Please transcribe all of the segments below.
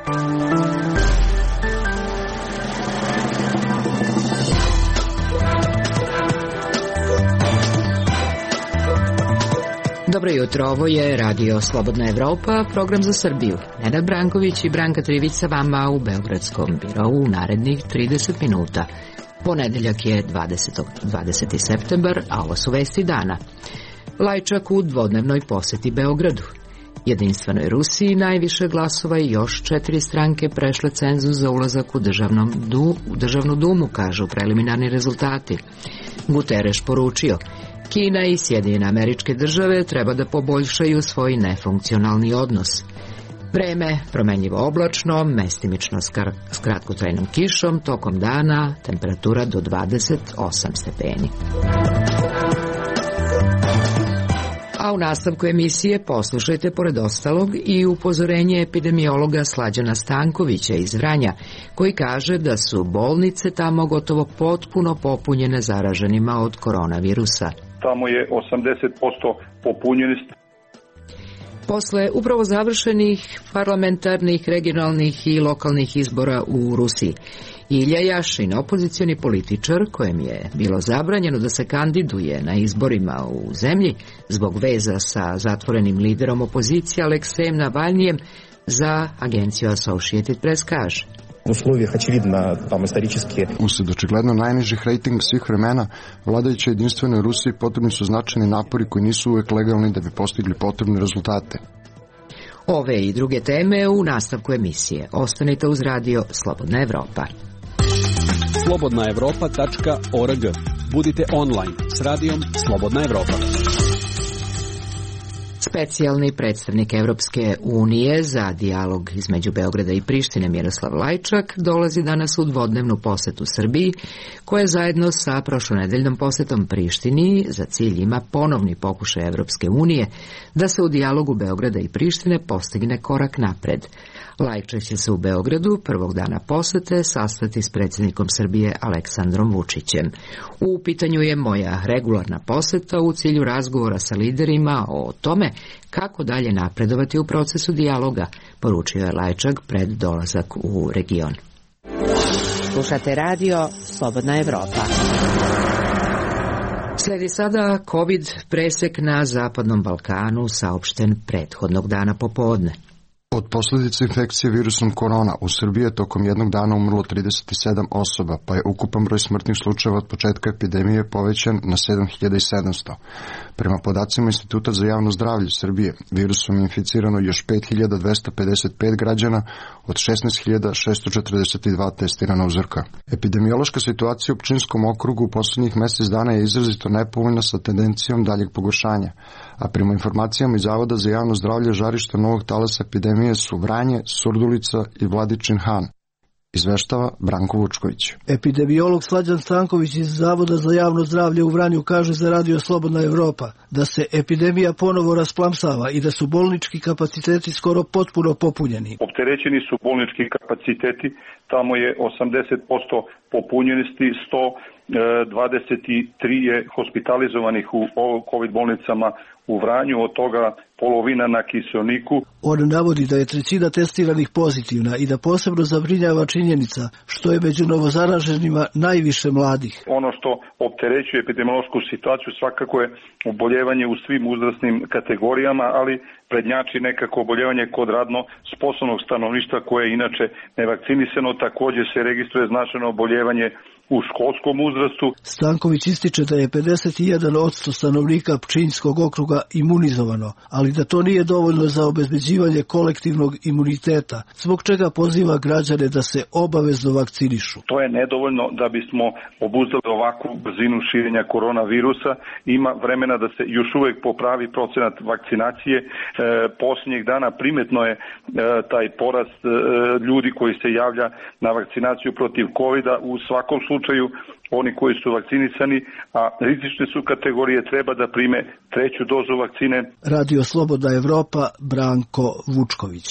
Dobro jutro, ovo je Radio Slobodna Evropa, program za Srbiju. Nenad Branković i Branka Trivić sa vama u Beogradskom birovu u narednih 30 minuta. Ponedeljak je 20. septembar, a ovo su vesti dana. Lajčak u dvodnevnoj poseti Beogradu. Jedinstvenoj Rusiji najviše glasova i još 4 stranke prešle cenzus za ulazak u državnu dumu, kažu preliminarni rezultati. Guterres poručio: Kina i Sjedinjene Američke Države treba da poboljšaju svoj nefunkcionalni odnos. Vreme promenljivo oblačno, mestimično s kratkotrajnom kišom, tokom dana temperatura do 28 stepeni. A u nastavku emisije poslušajte pored ostalog i upozorenje epidemiologa Slađana Stankovića iz Vranja, koji kaže da su bolnice tamo gotovo potpuno popunjene zaraženima od koronavirusa. Tamo je 80% popunjenost. Posle upravo završenih parlamentarnih, regionalnih i lokalnih izbora u Rusiji, Ilja Jašin, opozicioni političar kojem je bilo zabranjeno da se kandiduje na izborima u zemlji zbog veza sa zatvorenim liderom opozicije Aleksejem Navalnijem, za agenciju Associated Press kaže: Usled očigledno najnižih rejtinga svih vremena, vladajućoj jedinstvenoj Rusiji potrebni su značajni napori koji nisu uvek legalni da bi postigli potrebne rezultate. Ove i druge teme u nastavku emisije. Ostanite uz Radio Slobodna Evropa. slobodnaevropa.org. Budite online s radijom Slobodna Evropa. Specijalni predstavnik Evropske unije za dijalog između Beograda i Prištine Miroslav Lajčak dolazi danas u dvodnevnu posetu Srbiji, koja zajedno sa prošlonedeljnom posetom Prištini za cilj ima ponovni pokušaj Evropske unije da se u dijalogu Beograda i Prištine postigne korak napred. Lajčak će se u Beogradu prvog dana posete sastati s predsjednikom Srbije Aleksandrom Vučićem. U pitanju je moja regularna poseta u cilju razgovora sa liderima o tome kako dalje napredovati u procesu dijaloga, poručio je Lajčak pred dolazak u region. Slušate Radio Slobodna Evropa. Sledi sada COVID presek na Zapadnom Balkanu, saopšten prethodnog dana popodne. Od posljedica infekcije virusom korona u Srbiji je tokom jednog dana umrlo 37 osoba, pa je ukupan broj smrtnih slučajeva od početka epidemije povećan na 7700. Prema podacima Instituta za javno zdravlje Srbije, virusom je inficirano još 5255 građana od 16642 testirana uzorka. Epidemiološka situacija u Pčinjskom okrugu u posljednjih mjesec dana je izrazito nepovoljna sa tendencijom daljeg pogoršanja, a prema informacijama iz Zavoda za javno zdravlje žarišta novog talasa epidemije su Vranje, Surdulica i Vladičin Han. Izveštava Branko Vučković. Epidemiolog Slađan Stanković iz Zavoda za javno zdravlje u Vranju kaže za Radio Slobodna Evropa da se epidemija ponovo rasplamsava i da su bolnički kapaciteti skoro potpuno popunjeni. Opterećeni su bolnički kapaciteti, tamo je 80% popunjenosti, 123 je hospitalizovanih u COVID bolnicama u Vranju, od toga polovina na kiseoniku. On navodi da je trećina testiranih pozitivna i da posebno zabrinjava činjenica što je među novozaraženima najviše mladih. Ono što opterećuje epidemiološku situaciju svakako je oboljevanje u svim uzrasnim kategorijama, ali prednjači nekako oboljevanje kod radno sposobnog stanovništva koje je inače nevakcinisano. Također se registruje značajno oboljevanje u školskom uzrastu. Stanković ističe da je 51% stanovnika Pčinjskog okruga imunizovano, ali da to nije dovoljno za obezbeđivanje kolektivnog imuniteta, zbog čega poziva građane da se obavezno vakcinišu. To je nedovoljno da bismo obuzdali ovakvu brzinu širenja koronavirusa. Ima vremena da se još uvijek popravi procenat vakcinacije. Posljednjih dana primetno je taj porast ljudi koji se javlja na vakcinaciju protiv COVID-a. U svakom slučaju oni koji su vakcinisani, a rizične su kategorije, treba da prime treću dozu vakcine. Radio Slobodna Evropa, Branko Vučković.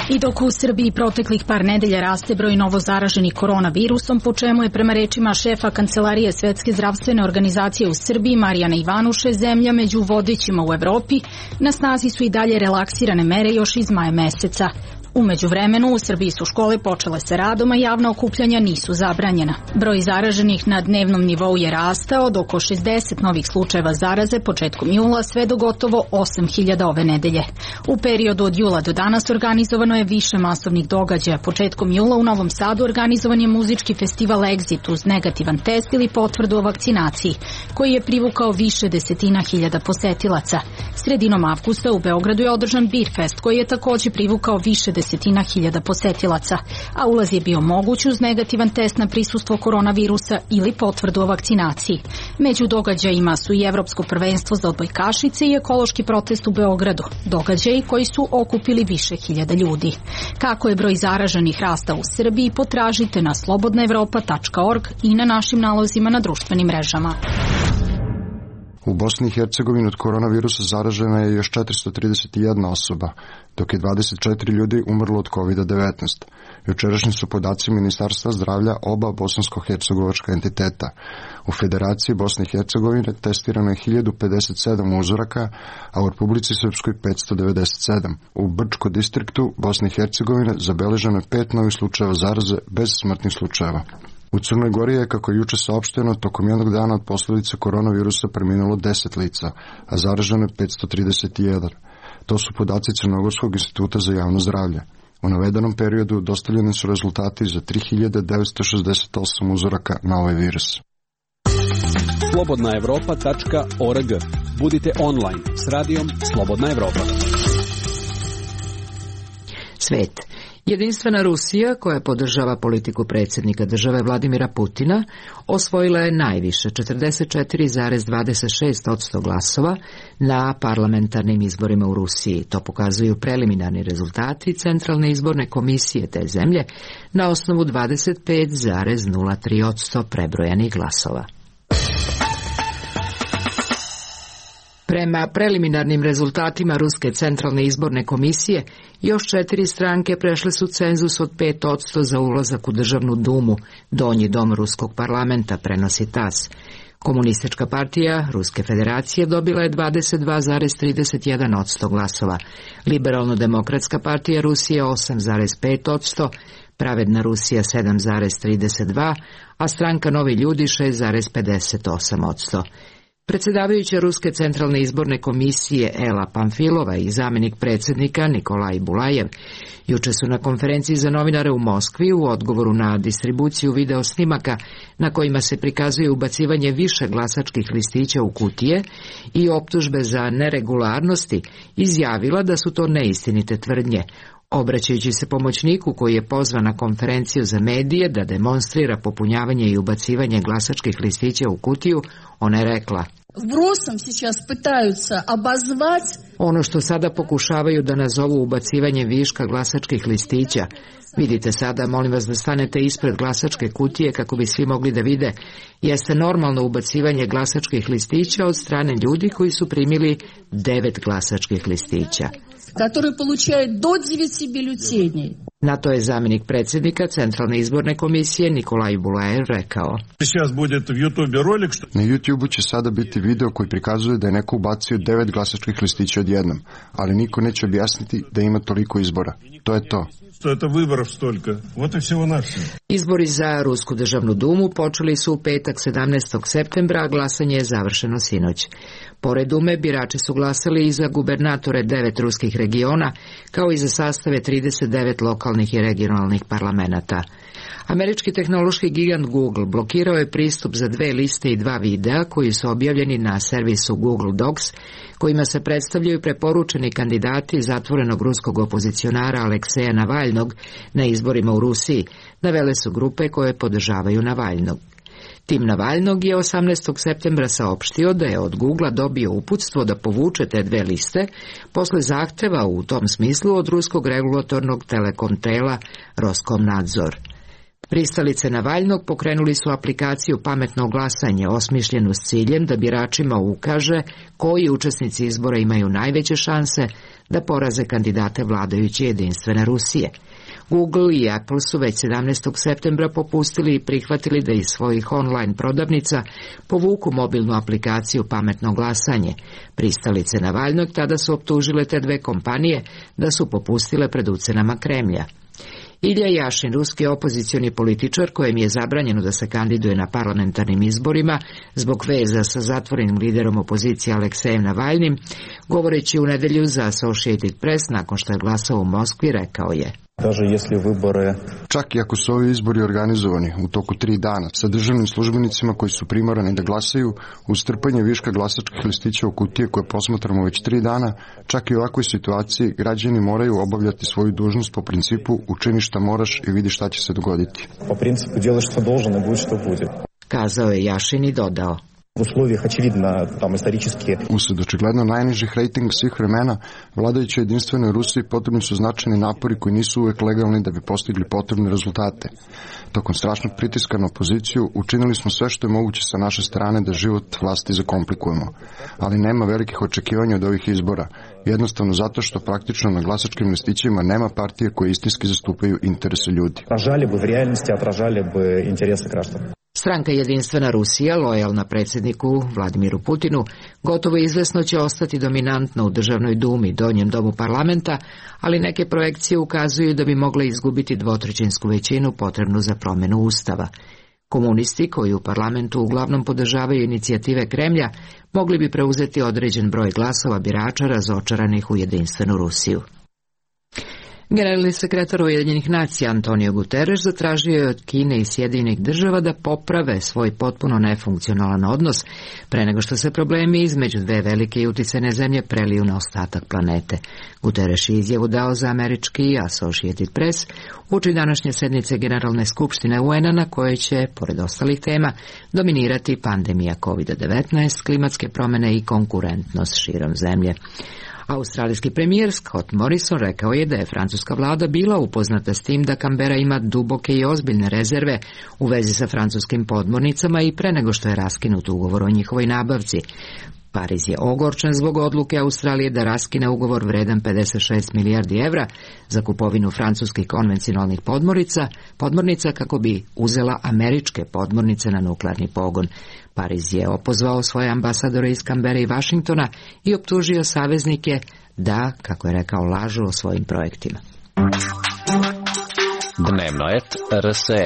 I dok u Srbiji proteklih par nedelja raste broj novo zaraženih koronavirusom, po čemu je prema rečima šefa Kancelarije Svetske zdravstvene organizacije u Srbiji Marijana Ivanuše zemlja među vodećima u Evropi, na snazi su i dalje relaksirane mere još iz maja meseca. U međuvremenu u Srbiji su škole počele sa radom, a javna okupljanja nisu zabranjena. Broj zaraženih na dnevnom nivou je rastao od oko 60 novih slučajeva zaraze početkom jula sve do gotovo 8.000 ove nedelje. U periodu od jula do danas organizovano je više masovnih događaja. Početkom jula u Novom Sadu organizovan je muzički festival Exit uz negativan test ili potvrdu o vakcinaciji, koji je privukao više desetina hiljada posetilaca. Sredinom avgusta u Beogradu je održan Beer Fest, koji je takođe privukao više desetina hiljada posetilaca, a ulaz je bio moguć uz negativan test na prisustvo koronavirusa ili potvrdu o vakcinaciji. Među događajima su i Evropsko prvenstvo za odbojkašice i ekološki protest u Beogradu, događaji koji su okupili više hiljada ljudi. Kako je broj zaraženih rasta u Srbiji, potražite na slobodnaevropa.org i na našim nalozima na društvenim mrežama. U Bosni i Hercegovini od koronavirusa zaražena je još 431 osoba, dok je 24 ljudi umrlo od COVID-19. Jučerašnji su podaci Ministarstva zdravlja oba bosansko-hercegovačka entiteta. U Federaciji Bosne i Hercegovine testirano je 1057 uzoraka, a u Republici Srpskoj 597. U Brčko distriktu Bosne i Hercegovine zabeleženo je 5 novih slučajeva zaraze bez smrtnih slučajeva. U Crnoj Gori je, kako je juče saopšteno, tokom jednog dana od posljedice koronavirusa preminulo 10 lica, a zaraženo je 531. To su podaci Crnogorskog instituta za javno zdravlje. U navedenom periodu dostavljeni su rezultati za 3968 uzoraka na ovaj virus. Slobodnaevropa.org. Budite online s radijom Slobodna Evropa. Svet. Jedinstvena Rusija, koja podržava politiku predsjednika države Vladimira Putina, osvojila je najviše 44,26% glasova na parlamentarnim izborima u Rusiji. To pokazuju preliminarni rezultati Centralne izborne komisije te zemlje na osnovu 25,03% prebrojanih glasova. Prema preliminarnim rezultatima Ruske centralne izborne komisije, još 4 stranke prešle su cenzus od 5% za ulazak u Državnu dumu, donji dom Ruskog parlamenta, prenosi TASS. Komunistička partija Ruske federacije dobila je 22,31% glasova, Liberalno-demokratska partija Rusije 8,5%, Pravedna Rusija 7,32%, a stranka Novi ljudi 6,58%. Predsjedavajuća Ruske centralne izborne komisije Ela Pamfilova i zamjenik predsjednika Nikolaj Bulajev juče su na konferenciji za novinare u Moskvi u odgovoru na distribuciju video snimaka na kojima se prikazuje ubacivanje više glasačkih listića u kutije i optužbe za neregularnosti izjavila da su to neistinite tvrdnje. Obraćajući se pomoćniku koji je pozvan na konferenciju za medije da demonstrira popunjavanje i ubacivanje glasačkih listića u kutiju, ona je rekla: ono što sada pokušavaju da nazovu ubacivanje viška glasačkih listića, vidite sada, molim vas da stanete ispred glasačke kutije kako bi svi mogli da vide, jeste normalno ubacivanje glasačkih listića od strane ljudi koji su primili 9 glasačkih listića. Na to je zamjenik predsjednika Centralne izborne komisije Nikolaj Bulajev rekao: na YouTube-u će sada biti video koji prikazuje da je neko ubacio 9 glasačkih listića odjednom, ali niko neće objasniti da ima toliko izbora. To je to. Izbori za Rusku državnu dumu počeli su u petak 17. septembra, a glasanje je završeno sinoć. Pored Dume, birači su glasali i za gubernatore 9 ruskih regiona, kao i za sastave 39 lokalnih i regionalnih parlamenata. Američki tehnološki gigant Google blokirao je pristup za 2 liste i 2 videa koji su objavljeni na servisu Google Docs, kojima se predstavljaju preporučeni kandidati zatvorenog ruskog opozicionara Alekseja Navalnog na izborima u Rusiji, navele su grupe koje podržavaju Navalnog. Tim Navalnog je 18. septembra saopštio da je od Googlea dobio uputstvo da povuče te 2 liste posle zahteva u tom smislu od ruskog regulatornog telekom tela Roskomnadzor. Pristalice Navalnog pokrenuli su aplikaciju Pametno glasanje, osmišljenu s ciljem da biračima ukaže koji učesnici izbora imaju najveće šanse da poraze kandidate vladajuće Jedinstvene Rusije. Google i Apple su već 17. septembra popustili i prihvatili da iz svojih online prodavnica povuku mobilnu aplikaciju Pametno glasanje. Pristalice Navalnog tada su optužile te dve kompanije da su popustile pred ucenama Kremlja. Ilja Jašin, ruski opozicioni političar kojem je zabranjeno da se kandiduje na parlamentarnim izborima zbog veza sa zatvorenim liderom opozicije Aleksejem Navalnim, govoreći u nedelju za Associated Press nakon što je glasao u Moskvi, rekao je: Čak i ako su ovi izbori organizovani u toku 3 dana sa državnim službenicima koji su primorani da glasaju, uz trpanje viška glasačkih listića u kutije koje posmatramo već 3 dana, čak i u ovakvoj situaciji građani moraju obavljati svoju dužnost po principu učini šta moraš i vidi šta će se dogoditi. Po principu djelaš što должен i budi što bude. Kazao je Jašin i dodao: Usled očigledno najnižih rejtinga svih vremena, vladajućoj Jedinstvenoj Rusiji potrebni su značajni napori koji nisu uvek legalni da bi postigli potrebne rezultate. Tokom strašnog pritiska na opoziciju učinili smo sve što je moguće sa naše strane da život vlasti zakomplikujemo. Ali nema velikih očekivanja od ovih izbora, jednostavno zato što praktično na glasačkim listićima nema partije koje istinski zastupaju interese ljudi. Stranka Jedinstvena Rusija, lojalna predsjedniku Vladimiru Putinu, gotovo izvesno će ostati dominantna u Državnoj dumi, donjem domu parlamenta, ali neke projekcije ukazuju da bi mogle izgubiti dvotrećinsku većinu potrebnu za promjenu ustava. Komunisti, koji u parlamentu uglavnom podržavaju inicijative Kremlja, mogli bi preuzeti određen broj glasova birača razočaranih u Jedinstvenu Rusiju. Generalni sekretar Ujedinjenih nacija Antonio Guterres zatražio je od Kine i Sjedinjenih država da poprave svoj potpuno nefunkcionalan odnos pre nego što se problemi između dve velike i uticajne zemlje preliju na ostatak planete. Guterres je izjavu dao za američki Associated Press uoči današnje sednice Generalne skupštine UN-a na kojoj će, pored ostalih tema, dominirati pandemija COVID-19, klimatske promjene i konkurentnost širom zemlje. Australijski premijer Scott Morrison rekao je da je francuska vlada bila upoznata s tim da Canberra ima duboke i ozbiljne rezerve u vezi sa francuskim podmornicama i pre nego što je raskinut ugovor o njihovoj nabavci. Pariz je ogorčen zbog odluke Australije da raskine ugovor vredan 56 milijardi evra za kupovinu francuskih konvencionalnih podmornica kako bi uzela američke podmornice na nuklearni pogon. Pariz je opozvao svoje ambasadore iz Canberre i Washingtona i optužio saveznike da, kako je rekao, lažu o svojim projektima. Dnevno et RSE.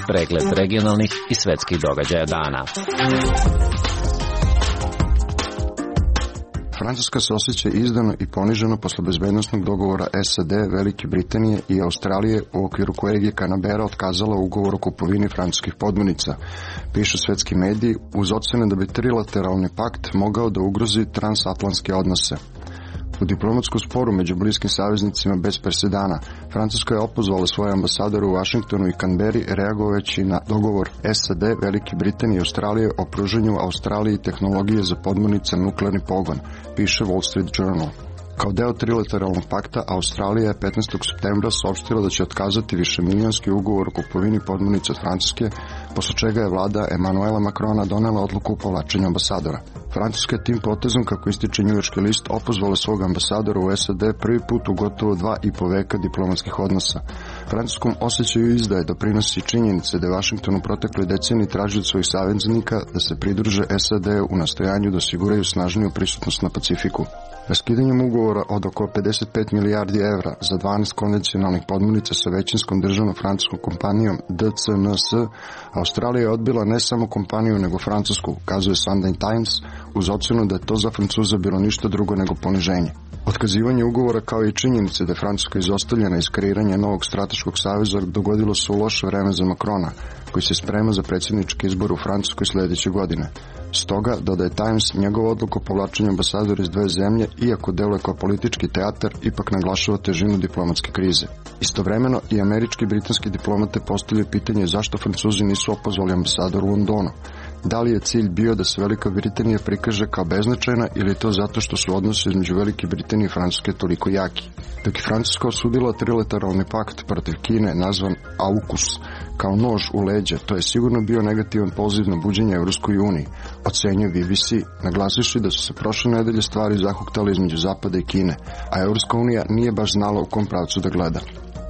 Pregled regionalnih i svetskih događaja dana. Francuska se osjeća izdano i poniženo posle bezbednosnog dogovora SAD, Velike Britanije i Australije u okviru kojeg je Canberra otkazala ugovor o kupovini francuskih podmornica, pišu svetski mediji, uz ocene da bi trilateralni pakt mogao da ugrozi transatlantske odnose. U diplomatskom sporu među bliskim saveznicima bez presedana, Francuska je opozvala svoje ambasadore u Washingtonu i Canberri reagovajući na dogovor SAD, Velike Britanije i Australije o pružanju Australiji tehnologije za podmornice na nuklearni pogon, piše Wall Street Journal. Kao deo trilateralnog pakta, Australija je 15. septembra saopštila da će otkazati višemilionski ugovor o kupovini podmornica od Francuske, posle čega je vlada Emanuela Macrona donela odluku o povlačenju ambasadora. Francuska je tim potezom, kako ističe njujorški list, opozvala svog ambasadora u SAD prvi put u gotovo 2,5 veka diplomatskih odnosa. Francuskom osjećaju izdaje doprinosi činjenice da je Washington u protekloj deceniji tražio od svojih saveznika da se pridruže SAD u nastojanju da osiguraju snažniju prisutnost na Pacifiku. Raskidanjem ugovora od oko 55 milijardi evra za 12 konvencionalnih podmornica sa većinskom državnom francuskom kompanijom DCNS, Australija je odbila ne samo kompaniju nego Francusku, kazuje Sunday Times, uz ocenu da je to za Francuza bilo ništa drugo nego poniženje. Otkazivanje ugovora kao i činjenice da je Francuska izostavljena iz kreiranja novog strateškog saveza dogodilo se u loše vreme za Macrona, koji se sprema za predsjednički izbor u Francuskoj sljedeće godine. Stoga, dodaje Times, njegova odluka o povlačenju ambasadora iz dve zemlje, iako deluje kao politički teatar, ipak naglašava težinu diplomatske krize. Istovremeno i američki i britanski diplomate postavljaju pitanje zašto Francuzi nisu opozvali ambasador u Londonu. Da li je cilj bio da se Velika Britanija prikaže kao beznačajna ili je to zato što su odnosi između Velike Britanije i Francuske toliko jaki? Dok je Francuska osudila trilateralni pakt protiv Kine nazvan AUKUS kao nož u leđa, to je sigurno bio negativan poziv na buđenje Evropskoj uniji, ocenjuje BBC, naglasivši da su se prošle nedelje stvari zahuktale između Zapada i Kine, a Evropska unija nije baš znala u kom pravcu da gleda.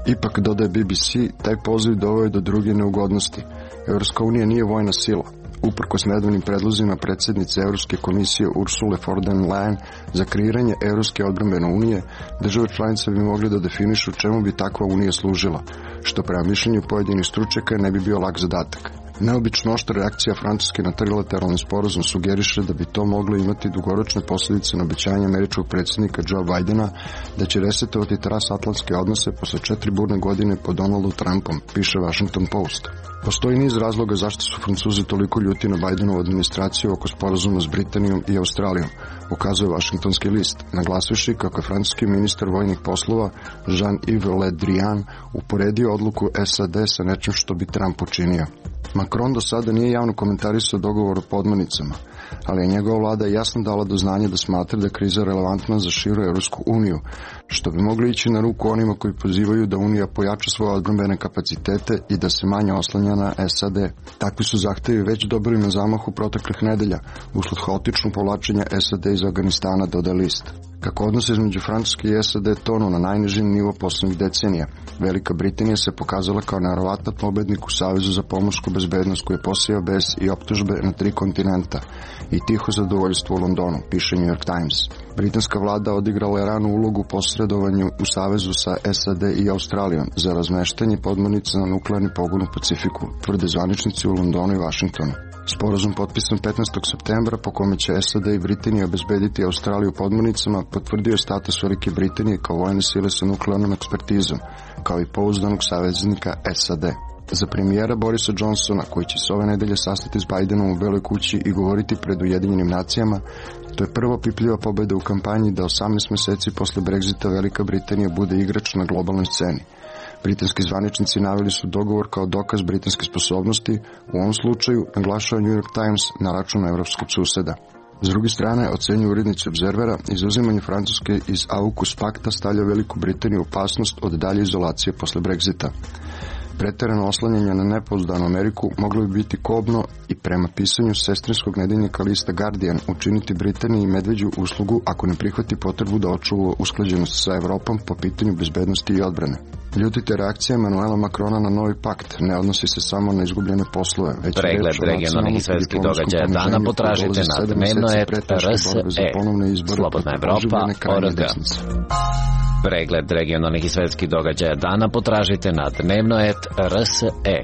Ipak, dodaje BBC, taj poziv doveo je do druge neugodnosti. Evropska unija nije vojna sila. Uprkos nedavnim predlozima predsjednice Evropske komisije Ursule von der Leyen za kreiranje Evropske odbrambene unije, države članice bi mogli da definišu čemu bi takva unija služila, što prema mišljenju pojedinih stručnjaka ne bi bio lak zadatak. Neobično oštra reakcija Francuske na trilateralni sporazum sugeriše da bi to moglo imati dugoročne posljedice na obećanje američkog predsjednika Joe Bidena da će resetovati transatlantske odnose posle 4 burne godine pod Donaldom Trumpom, piše Washington Post. Postoji niz razloga zašto su Francuzi toliko ljuti na Bidenovu administraciju oko sporazuma s Britanijom i Australijom, ukazuje Washingtonski list, naglasivši kako je francuski ministar vojnih poslova Jean-Yves Le Drian uporedio odluku SAD sa nečim što bi Trump učinio. Macron do sada nije javno komentarisao dogovor o podmornicama, ali je njegova vlada jasno dala do znanja da smatra da je kriza relevantna za širu Evropsku uniju, što bi moglo ići na ruku onima koji pozivaju da Unija pojača svoje odbrambene kapacitete i da se manje oslanja na SAD. Takvi su zahtevi već dobili na zamahu proteklih nedelja, usled haotičnog povlačenja SAD iz Afganistana, dodaje list. Kako odnose između Francuske i SAD tonu na najniži nivo poslednjih decenija, Velika Britanija se pokazala kao neverovatan pobednik u Savezu za pomorsku bezbednost koji je posejao bes i optužbe na 3 kontinenta i tiho zadovoljstvo u Londonu, piše New York Times. Britanska vlada odigrala je ranu ulogu u posredovanju u Savezu sa SAD i Australijom za razmeštanje podmornica na nuklearni pogon u Pacifiku, tvrde zvaničnici u Londonu i Washingtonu. Sporazum potpisan 15. septembra po kome će SAD i Britanija obezbediti Australiju podmornicama potvrdio je status Velike Britanije kao vojne sile sa nuklearnom ekspertizom, kao i pouzdanog saveznika SAD. Za premijera Borisa Johnsona, koji će se ove nedelje sastati s Bidenom u Beloj kući i govoriti pred Ujedinjenim nacijama, to je prva pipljiva pobeda u kampanji da 18 meseci posle Brexita Velika Britanija bude igrač na globalnoj sceni. Britanski zvaničnici naveli su dogovor kao dokaz britanske sposobnosti, u ovom slučaju naglašava New York Times na račun evropskog suseda. S druge strane, ocenjuju urednici Obzervera, izuzimanje Francuske iz AUKUS pakta stavlja Veliku Britaniju u opasnost od dalje izolacije posle Brexita. Preterano oslanjanje na nepouzdanu Ameriku moglo bi biti kobno i prema pisanju sestrinskog nedeljnika lista Guardian učiniti Britaniji medveđu uslugu ako ne prihvati potrebu da očuva usklađenost sa Evropom po pitanju bezbednosti i odbrane. Ljutite reakcija Emanuela Macrona na novi pakt ne odnosi se samo na izgubljene poslove, već pregled regionalnih i svetskih događaja dana potražite na dnevno.rs.e. Slobodna Evropa.org. Pregled regionalnih i svetskih događaja dana potražite na dnevno.rs.e.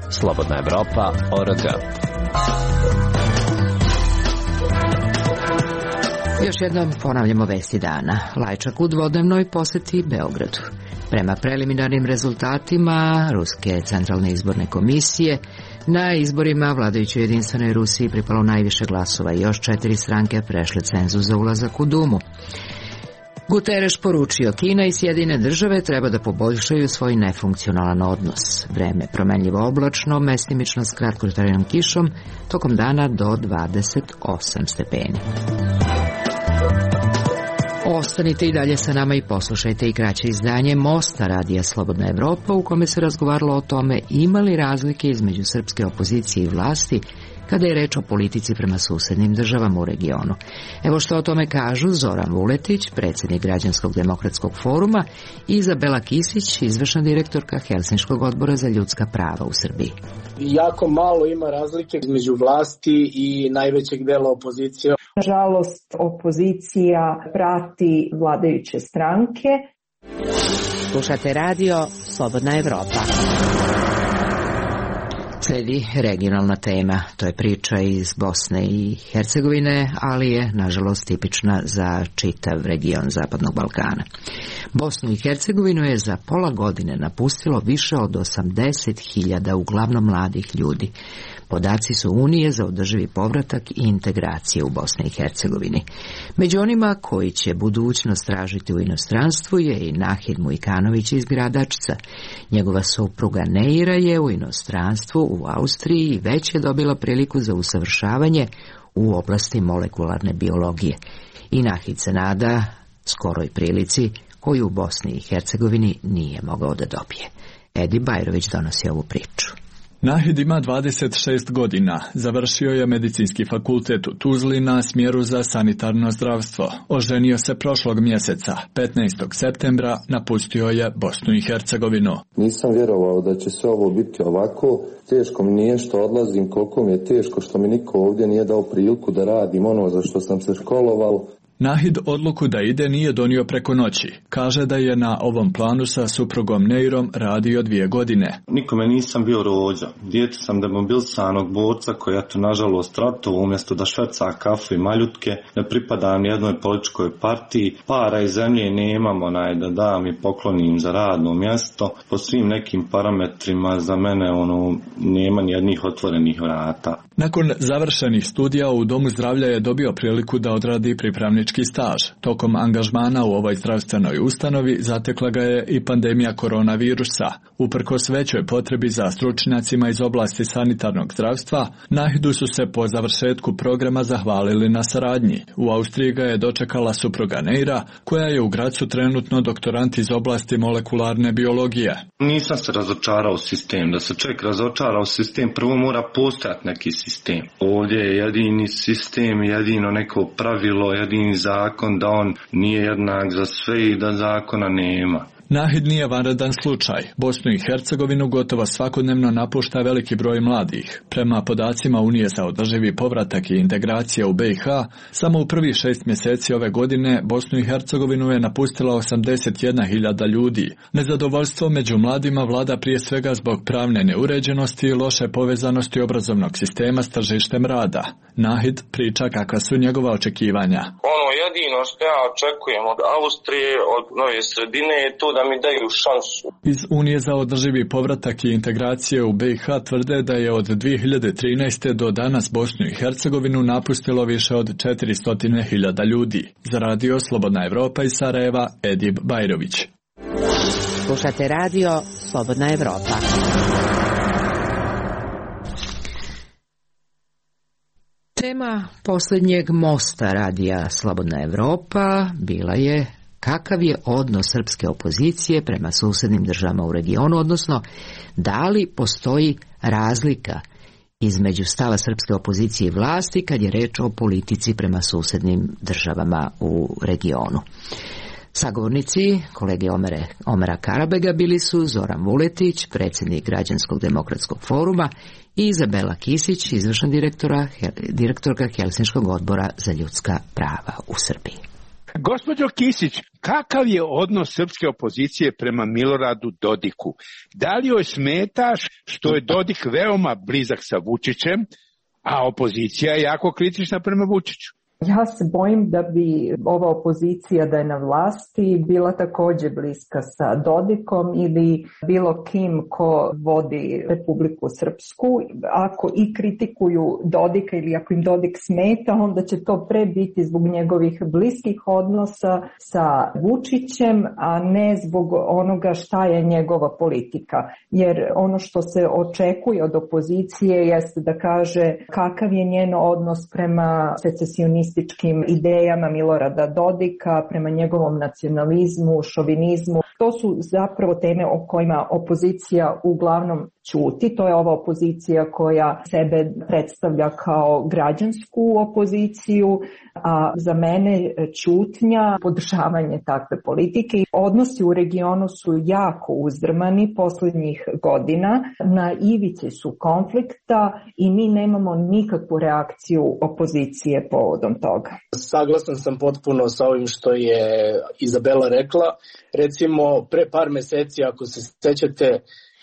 Slobodna Evropa.org. Još jednom ponavljamo vesti dana. Lajčak u dvodnevnoj poseti Beogradu. Prema preliminarnim rezultatima Ruske centralne izborne komisije, na izborima vladajućoj jedinstvenoj Rusiji pripalo najviše glasova i još 4 stranke prešle cenzus za ulazak u Dumu. Guterres poručio, Kina i Sjedinjene države treba da poboljšaju svoj nefunkcionalan odnos. Vreme promenljivo oblačno, mestimično s kratkotrajnom kišom, tokom dana do 28 stepeni. Ostanite i dalje sa nama i poslušajte i kraće izdanje Mosta radija Slobodna Evropa u kome se razgovaralo o tome ima li razlike između srpske opozicije i vlasti kada je reč o politici prema susednim državama u regionu. Evo što o tome kažu Zoran Vuletić, predsjednik Građanskog demokratskog foruma, i Izabela Kisić, izvršna direktorka Helsinškog odbora za ljudska prava u Srbiji. Jako malo ima razlike između vlasti i najvećeg dela opozicije. Nažalost, opozicija prati vladajuće stranke. Slušate radio Slobodna Evropa. Sledi regionalna tema, to je priča iz Bosne i Hercegovine, ali je nažalost tipična za čitav region Zapadnog Balkana. Bosnu i Hercegovinu je za pola godine napustilo više od 80.000 uglavnom mladih ljudi. Podaci su Unije za održivi povratak i integracije u Bosni i Hercegovini. Među onima koji će budućnost tražiti u inostranstvu je i Nahid Mujkanović iz Gradačca. Njegova supruga Neira je u inostranstvu u Austriji i već je dobila priliku za usavršavanje u oblasti molekularne biologije. I Nahid se nada skoroj prilici koju u Bosni i Hercegovini nije mogao da dobije. Edi Bajrović donosi ovu priču. Nahid ima 26 godina, završio je medicinski fakultet u Tuzli na smjeru za sanitarno zdravstvo. Oženio se prošlog mjeseca, 15. septembra, napustio je Bosnu i Hercegovinu. Nisam vjerovao da će sve ovo biti ovako, teško mi nije što odlazim, koliko mi je teško što mi niko ovdje nije dao priliku da radim ono za što sam se školovao. Nahid odluku da ide nije donio preko noći. Kaže da je na ovom planu sa suprugom Neirom radio 2 godine. Nikome nisam bio rođa. Dijete sam demobilisanog borca koji je to nažalost ratovao umjesto da šverca kafu i maljutke. Ne pripadam jednoj političkoj partiji. Para i zemlje nemam da dam i poklonim za radno mjesto. Po svim nekim parametrima za mene nema nijednih otvorenih vrata. Nakon završenih studija u Domu zdravlja je dobio priliku da odradi pripravnički staž. Tokom angažmana u ovoj zdravstvenoj ustanovi zatekla ga je i pandemija koronavirusa. Uprkos većoj potrebi za stručnjacima iz oblasti sanitarnog zdravstva, Nahidu su se po završetku programa zahvalili na saradnji. U Austriji ga je dočekala supruga Neira, koja je u Gracu trenutno doktorant iz oblasti molekularne biologije. Nisam se razočarao u sistem. Da se čovjek razočara u sistem, prvo mora postojati neki sistem. Ovdje je jedini sistem, jedino neko pravilo, jedini zakon da on nije jednak za sve i da zakona nema. Nahid nije vanredan slučaj. Bosnu i Hercegovinu gotovo svakodnevno napušta veliki broj mladih. Prema podacima Unije za održivi povratak i integracija u BiH, samo u prvih 6 mjeseci ove godine Bosnu i Hercegovinu je napustila 81.000 ljudi. Nezadovoljstvo među mladima vlada prije svega zbog pravne neuređenosti i loše povezanosti obrazovnog sistema s tržištem rada. Nahid priča kakva su njegova očekivanja. Jedino što ja očekujem od Austrije, od nove sredine je to da mi daju šansu. Iz Unije za održivi povratak i integracije u BiH tvrde da je od 2013. do danas Bosnu i Hercegovinu napustilo više od 400.000 ljudi. Za radio Slobodna Evropa iz Sarajeva, Edib Bajrović. Slušate radio Slobodna Evropa. Tema posljednjeg mosta radija Slobodna Evropa bila je kakav je odnos srpske opozicije prema susjednim državama u regionu, odnosno da li postoji razlika između stava srpske opozicije i vlasti kad je reč o politici prema susjednim državama u regionu. Sagovornici kolege Omera Karabega bili su Zoran Vuletić, predsjednik Građanskog demokratskog foruma, i Izabela Kisić, izvršna direktorka Helsinškog odbora za ljudska prava u Srbiji. Gospođo Kisić, kakav je odnos srpske opozicije prema Miloradu Dodiku? Da li joj smetaš što je Dodik veoma blizak sa Vučićem, a opozicija je jako kritična prema Vučiću? Ja se bojim da bi ova opozicija da je na vlasti bila također bliska sa Dodikom ili bilo kim ko vodi Republiku Srpsku. Ako i kritikuju Dodika ili ako im Dodik smeta, onda će to pre biti zbog njegovih bliskih odnosa sa Vučićem, a ne zbog onoga šta je njegova politika. Jer ono što se očekuje od opozicije jeste da kaže kakav je njen odnos prema secesionističkim idejama Milorada Dodika, prema njegovom nacionalizmu, šovinizmu. To su zapravo teme o kojima opozicija uglavnom ćuti. To je ova opozicija koja sebe predstavlja kao građansku opoziciju, a za mene ćutnja, podržavanje takve politike. Odnosi u regionu su jako uzdrmani posljednjih godina, na ivici su konflikta i mi nemamo nikakvu reakciju opozicije povodom toga. Saglasan sam potpuno sa ovim što je Izabela rekla. Recimo, pre par meseci, ako se sećate,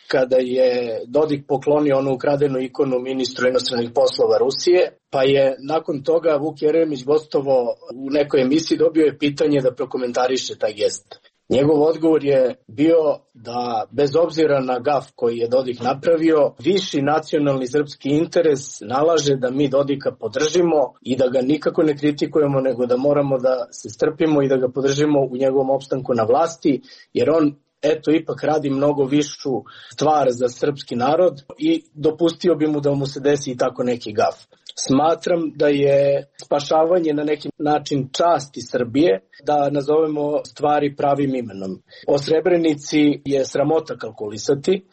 kada je Dodik poklonio onu ukradenu ikonu ministru inostranih poslova Rusije, pa je nakon toga Vuk Jeremić gostovo u nekoj emisiji, dobio je pitanje da prokomentariše taj gest. Njegov odgovor je bio da bez obzira na gaf koji je Dodik napravio, viši nacionalni srpski interes nalaže da mi Dodika podržimo i da ga nikako ne kritikujemo, nego da moramo da se strpimo i da ga podržimo u njegovom opstanku na vlasti, jer on eto ipak radi mnogo višu stvar za srpski narod i dopustio bi mu da mu se desi i tako neki gaf. Smatram da je spašavanje na neki način časti Srbije, da nazovemo stvari pravim imenom. O Srebrenici je sramota kalkulisati,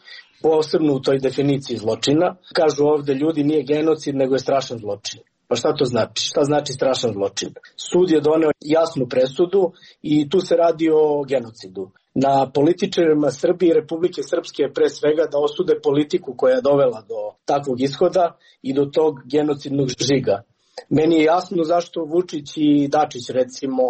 posebno u toj definiciji zločina. Kažu ovde ljudi nije genocid, nego je strašan zločin. Pa šta to znači? Šta znači strašan zločin? Sud je doneo jasnu presudu i tu se radi o genocidu. Na političarima Srbije i Republike Srpske je pre svega da osude politiku koja je dovela do takvog ishoda i do tog genocidnog žiga. Meni je jasno zašto Vučić i Dačić recimo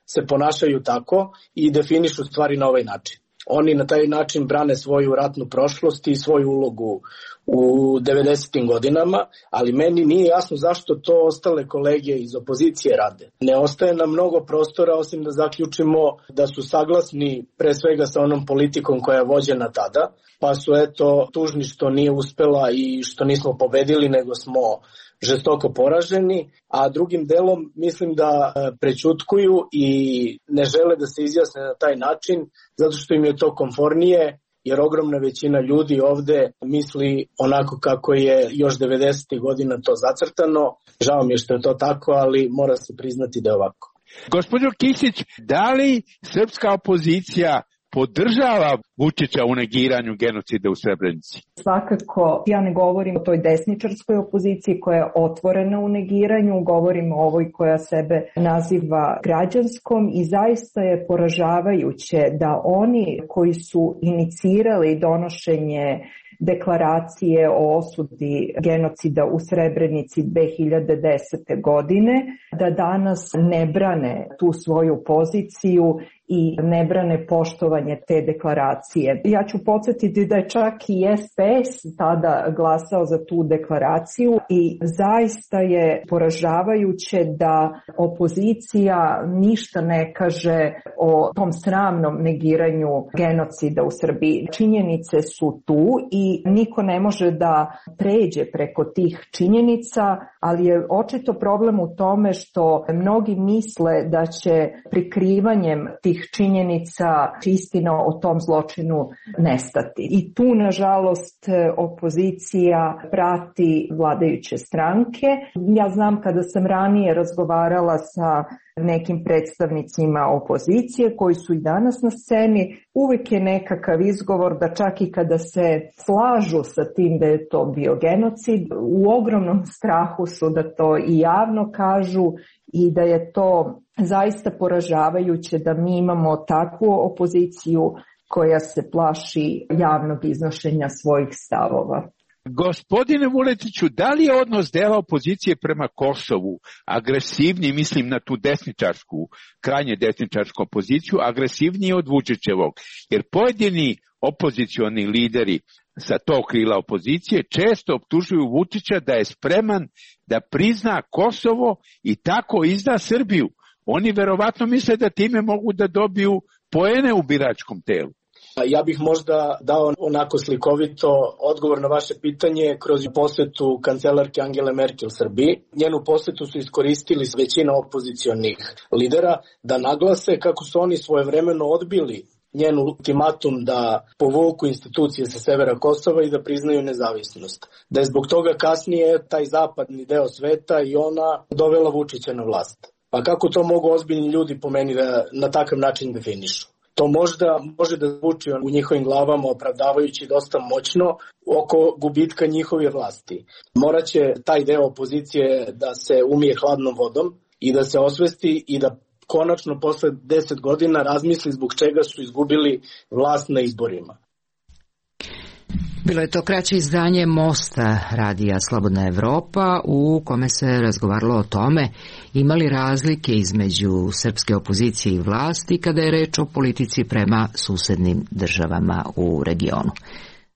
se ponašaju tako i definišu stvari na ovaj način. Oni na taj način brane svoju ratnu prošlost i svoju ulogu u 90. godinama, ali meni nije jasno zašto to ostale kolege iz opozicije rade. Ne ostaje nam mnogo prostora osim da zaključimo da su saglasni pre svega sa onom politikom koja je vođena tada, pa su eto tužni što nije uspela i što nismo pobedili, nego smo žestoko poraženi, a drugim delom mislim da prećutkuju i ne žele da se izjasne na taj način, zato što im je to komfornije, jer ogromna većina ljudi ovde misli onako kako je još 90. godina to zacrtano. Žao mi je što je to tako, ali mora se priznati da je ovako. Gospođo Kisić, da li srpska opozicija podržava Vučića u negiranju genocida u Srebrenici? Svakako, ja ne govorim o toj desničarskoj opoziciji koja je otvorena u negiranju, govorim o ovoj koja sebe naziva građanskom i zaista je poražavajuće da oni koji su inicirali donošenje deklaracije o osudi genocida u Srebrenici 2010. godine, da danas ne brane tu svoju poziciju i ne brane poštovanje te deklaracije. Ja ću podsjetiti da je čak i SPS tada glasao za tu deklaraciju i zaista je poražavajuće da opozicija ništa ne kaže o tom sramnom negiranju genocida u Srbiji. Činjenice su tu i niko ne može da pređe preko tih činjenica, ali je očito problem u tome što mnogi misle da će prikrivanjem tih činjenica istina o tom zločinu nestati. I tu, nažalost, opozicija prati vladajuće stranke. Ja znam kada sam ranije razgovarala sa nekim predstavnicima opozicije koji su i danas na sceni, uvijek je nekakav izgovor da čak i kada se slažu sa tim da je to bio genocid, u ogromnom strahu su da to i javno kažu i da je to zaista poražavajuće da mi imamo takvu opoziciju koja se plaši javnog iznošenja svojih stavova. Gospodine Vuletiću, da li je odnos dela opozicije prema Kosovu agresivniji, mislim na tu desničarsku, krajnje desničarsku opoziciju, agresivniji od Vučićevog? Jer pojedini opozicioni lideri sa tog krila opozicije često optužuju Vučića da je spreman da prizna Kosovo i tako izda Srbiju. Oni verovatno misle da time mogu da dobiju poene u biračkom telu. Ja bih možda dao onako slikovito odgovor na vaše pitanje kroz posetu kancelarke Angele Merkel Srbiji. Njenu posetu su iskoristili većina opozicionih lidera da naglase kako su oni svojevremeno odbili njen ultimatum da povuku institucije sa severa Kosova i da priznaju nezavisnost. Da je zbog toga kasnije taj zapadni deo sveta i ona dovela Vučića na vlast. Pa kako to mogu ozbiljni ljudi po meni da na takav način definišu? To možda može da zvuči u njihovim glavama opravdavajući dosta moćno oko gubitka njihove vlasti. Moraće taj deo opozicije da se umije hladnom vodom i da se osvesti i da konačno posle 10 godina razmisli zbog čega su izgubili vlast na izborima. Bilo je to kraće izdanje Mosta radija Slobodna Evropa u kome se razgovaralo o tome ima li razlike između srpske opozicije i vlasti kada je reč o politici prema susednim državama u regionu.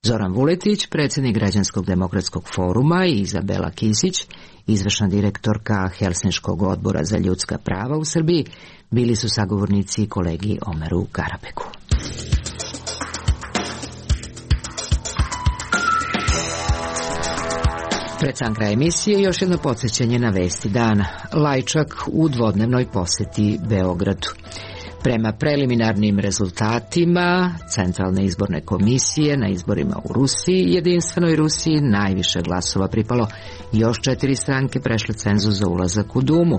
Zoran Vuletić, predsjednik Građanskog demokratskog foruma i Izabela Kisić, izvršna direktorka Helsinškog odbora za ljudska prava u Srbiji, bili su sagovornici kolegi Omeru Karabeku. Pred sam kraj emisije još jedno podsjećanje na vesti dana. Lajčak u dvodnevnoj poseti Beogradu. Prema preliminarnim rezultatima Centralne izborne komisije na izborima u Rusiji, Jedinstvenoj Rusiji najviše glasova pripalo. Još 4 stranke prešle cenzus za ulazak u Dumu.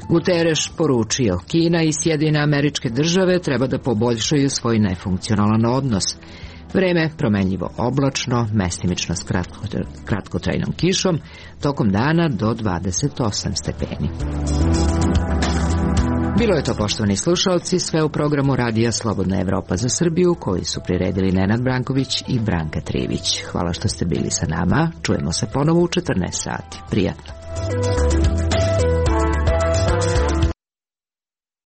Guterres poručio, Kina i Sjedinjene Američke Države treba da poboljšaju svoj nefunkcionalan odnos. Vreme promenljivo oblačno, mestimično s kratkotrajnom kišom, tokom dana do 28 stepeni. Bilo je to, poštovani slušalci, sve u programu Radija Slobodna Evropa za Srbiju, koji su priredili Nenad Branković i Branka Trivić. Hvala što ste bili sa nama. Čujemo se ponovo u 14 sati. Prijatno.